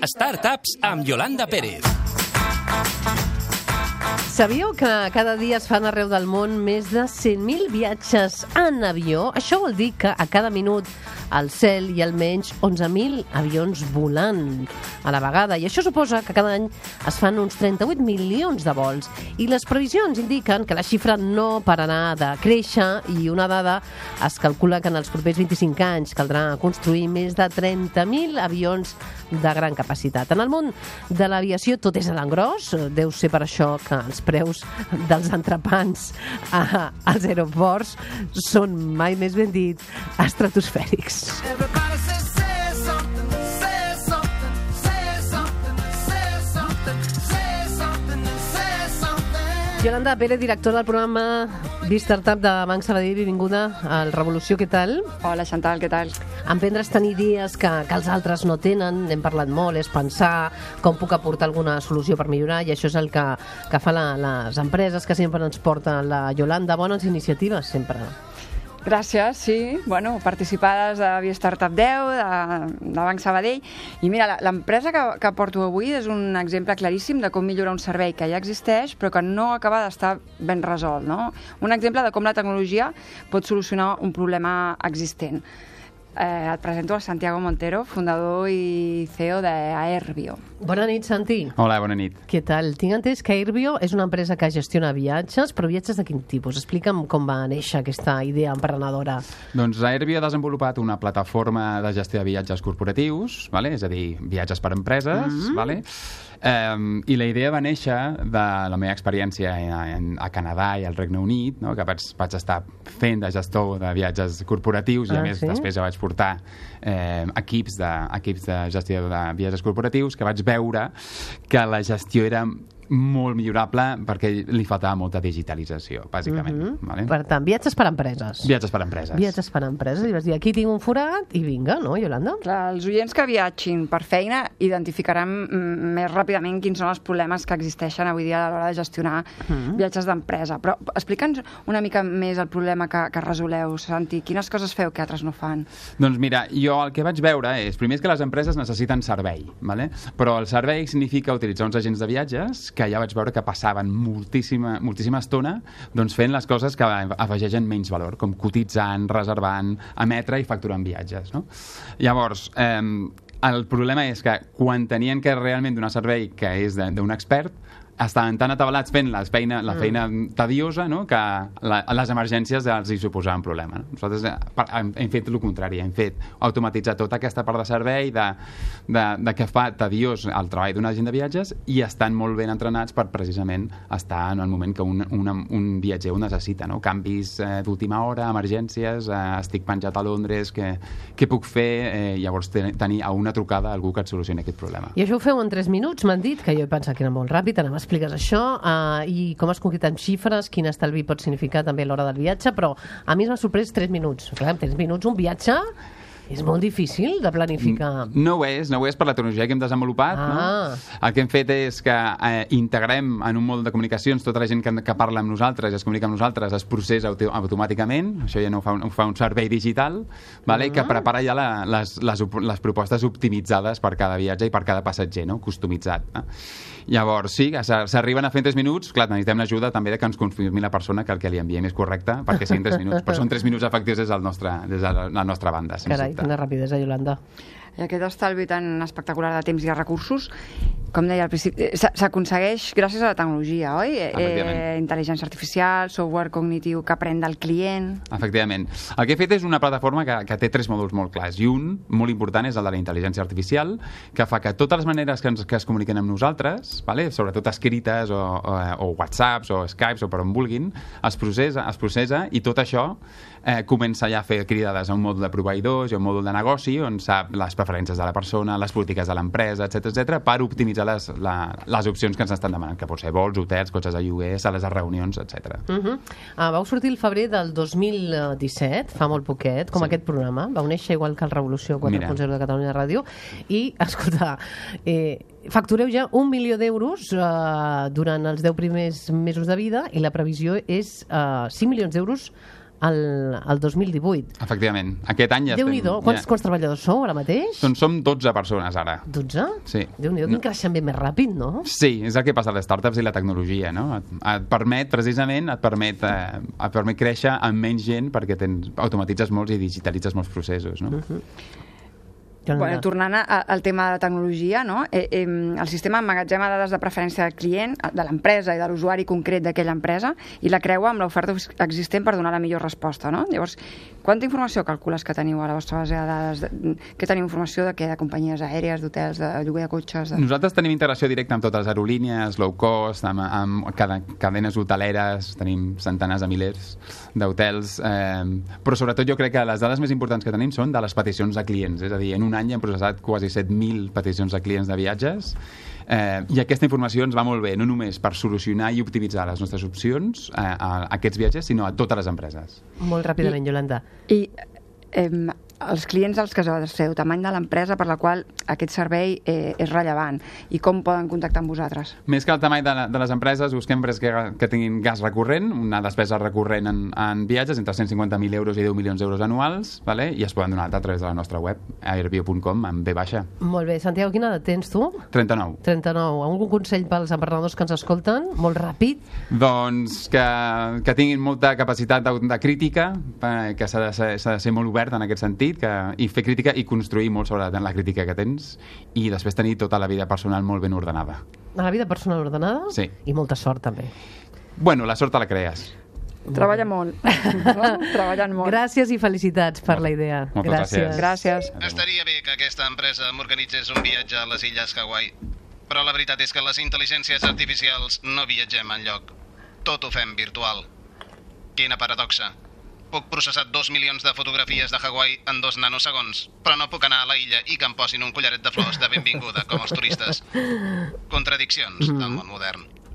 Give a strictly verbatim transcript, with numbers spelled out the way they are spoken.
Startups amb Yolanda Pérez. Sabíeu que cada dia es fan arreu del món més de cent mil viatges en avió? Això vol dir que a cada minut al cel hi ha almenys onze mil avions volant a la vegada. I això suposa que cada any es fan uns trenta-vuit milions de vols. I les previsions indiquen que la xifra no pararà de créixer i una dada es calcula que en els propers vint-i-cinc anys caldrà construir més de trenta mil avions de gran capacitat. En el món de l'aviació tot és a l'engròs. Deu ser per això que els preus dels entrepans a, als aeroports són, mai més ben dit, estratosfèrics. Yolanda Pérez, directora del programa B-Startup de Banc Sabadell, benvinguda al Revolució, què tal? Hola, Chantal, què tal? Emprendre's tenir idees que, que els altres no tenen, n'hem parlat molt, és pensar com puc aportar alguna solució per millorar, i això és el que, que fa la, les empreses que sempre ens porta la Yolanda. Bones iniciatives, sempre. Gràcies, sí. Bueno, participades de B-Startup deu, de, de Banc Sabadell. I mira, l'empresa que, que porto avui és un exemple claríssim de com millorar un servei que ja existeix però que no acaba d'estar ben resolt, no? Un exemple de com la tecnologia pot solucionar un problema existent. Eh, et presento a Santiago Montero, fundador i C E O d'Aerbio. Bona nit, Santi. Hola, bona nit. Què tal? Tinc entès que Aerbio és una empresa que gestiona viatges, però viatges de quin tipus? Explica'm com va néixer aquesta idea emprenedora. Doncs Aerbio ha desenvolupat una plataforma de gestió de viatges corporatius, vale? És a dir, viatges per empreses, mm-hmm. vale? Um, i la idea va néixer de la meva experiència a, a Canadà i al Regne Unit, no? Que vaig, vaig estar fent de gestor de viatges corporatius i ah, a més sí? després ja vaig portar eh, equips, de, equips de gestió de viatges corporatius, que vaig veure que la gestió era molt millorable perquè li faltava molta digitalització, bàsicament. Mm-hmm. Vale? Per tant, viatges per empreses. Viatges per empreses. Viatges per empreses. I vas dir, aquí tinc un forat i vinga, no, Yolanda? Clar, els oients que viatgin per feina identificaran més ràpidament quins són els problemes que existeixen avui dia a l'hora de gestionar mm-hmm. viatges d'empresa. Però explica'ns una mica més el problema que, que resoleu, Santi. Quines coses feu que altres no fan? Doncs mira, jo el que vaig veure és, primer és que les empreses necessiten servei, vale? Però el servei significa utilitzar uns agents de viatges que ja vaig veure que passaven moltíssima, moltíssima estona doncs fent les coses que afegeixen menys valor, com cotitzant, reservant, emetre i facturant viatges, no? Llavors, eh, el problema és que quan tenien que realment donar servei que és d'un expert, estaven tan atabalats fent la feina, la feina mm. tediosa, no? Que la, les emergències els hi suposaven problema. No? Nosaltres hem, hem fet el contrari, hem fet automatitzar tota aquesta part de servei de, de, de que fa tediós el treball d'un agent de viatges i estan molt ben entrenats per precisament estar en el moment que un, un, un viatger ho necessita, no? Canvis eh, d'última hora, emergències, eh, estic penjat a Londres, què, què puc fer? Eh, llavors ten, tenir a una trucada algú que et solucioni aquest problema. I això ho feu en tres minuts, m'han dit, que jo he pensat que era molt ràpid, anem a expliques això, uh, i com es concreten xifres, quin estalvi pot significar també a l'hora del viatge, però a mi m'ha sorprès tres minuts. Clar, en tres minuts un viatge és molt difícil de planificar. No ho és, no ho és per la tecnologia que hem desenvolupat. Ah. No? El que hem fet és que eh, integrem en un mòdul de comunicacions tota la gent que, que parla amb nosaltres, es comunica amb nosaltres, es processa auto automàticament, això ja no ho fa un, ho fa un servei digital, vale? Ah. Que prepara ja la, les, les, les propostes optimitzades per cada viatge i per cada passatger, no? Customitzat. Eh? Llavors, sí, s'arriben a fer en tres minuts, clar, necessitem l'ajuda també de que ens confirmi la persona que el que li enviem és correcte, perquè siguin tres minuts, però són tres minuts efectius des, del nostre, des de la nostra banda. Carai, quina rapidesa, Yolanda. I aquest estalvi tan espectacular de temps i de recursos, com deia al principi, s'aconsegueix gràcies a la tecnologia, oi? Eh, intel·ligència artificial, software cognitiu que aprèn del client... Efectivament. El que he fet és una plataforma que, que té tres mòduls molt clars, i un, molt important, és el de la intel·ligència artificial, que fa que totes les maneres que, ens, que es comuniquen amb nosaltres, vale? Sobretot escrites o, o, o whatsapps o skypes o per on vulguin, es processa, es processa i tot això eh, comença ja a fer cridades a un mòdul de proveïdors i a un mòdul de negoci on sap les preferències de la persona, les polítiques de l'empresa, etcètera, etcètera, per optimitzar les, la, les opcions que ens estan demanant, que pot ser vols, hotels, cotxes de lloguer, sales de reunions, etcètera. Uh -huh. uh, vau sortir el febrer del dos mil disset, fa molt poquet, com Sí. aquest programa. Vau néixer igual que el Revolució quatre punt zero de Catalunya Ràdio. I, escolta, eh, factureu ja un milió d'euros eh, durant els deu primers mesos de vida i la previsió és eh, cinc milions d'euros al, al dos mil divuit. Efectivament. Aquest any ja Déu-n'hi-do. estem... Quants, Ja... quants treballadors sou ara mateix? Doncs som dotze persones ara. dotze? Sí. Déu-n'hi-do, quin creixement més ràpid, no? Sí, és el que passa a les startups i la tecnologia, no? Et, et permet, precisament, et permet, eh, et permet créixer amb menys gent perquè tens, automatitzes molts i digitalitzes molts processos, no? Uh-huh. Bueno, tornant a, al tema de la tecnologia, no? eh, eh, el sistema emmagatzema dades de preferència del client, de l'empresa i de l'usuari concret d'aquella empresa i la creua amb l'oferta existent per donar la millor resposta, no? Llavors, quanta informació calcules que teniu a la vostra base de dades? De, que teniu informació de què? De companyies aèries, d'hotels, de lloguer de cotxes? De... Nosaltres tenim integració directa amb totes les aerolínies, low cost, amb, amb cada, cadenes hoteleres, tenim centenars de milers d'hotels, eh, però sobretot jo crec que les dades més importants que tenim són de les peticions de clients, és a dir, en un any hem processat quasi set mil peticions de clients de viatges eh, i aquesta informació ens va molt bé, no només per solucionar i optimitzar les nostres opcions eh, a, a aquests viatges, sinó a totes les empreses. Molt ràpidament, Iolanda. I eh, els clients als que es adreceu, tamany de l'empresa per la qual aquest servei eh, és rellevant i com poden contactar amb vosaltres? Més que el tamany de, de les empreses, busquem empreses que, que tinguin gas recurrent, una despesa recurrent en, en viatges entre cent cinquanta mil euros i deu milions d'euros anuals, vale? I es poden donar a través de la nostra web, airbnb punt com, amb B baixa. Molt bé. Santiago, quina edat tens tu? trenta-nou. trenta-nou. Algun consell pels emprenedors que ens escolten? Molt ràpid. Doncs que, que tinguin molta capacitat de, de crítica, eh, que s'ha de, ser, s'ha de ser molt obert en aquest sentit, que, i fer crítica i construir molt sobre la crítica que tens i després tenir tota la vida personal molt ben ordenada. A la vida personal ordenada? Sí. I molta sort, també. Bueno, la sort te la crees. Treballa molt. No? Treballant molt. Gràcies i felicitats per la idea. Moltes gràcies. Gràcies. Estaria bé que aquesta empresa m'organitzés un viatge a les illes Hawaii, però la veritat és que les intel·ligències artificials no viatgem enlloc. Tot ho fem virtual. Quina paradoxa. Puc processar dos milions de fotografies de Hawaii en dos nanosegons, però no puc anar a la illa i que em posin un collaret de flors de benvinguda, com els turistes. Contradiccions del món modern.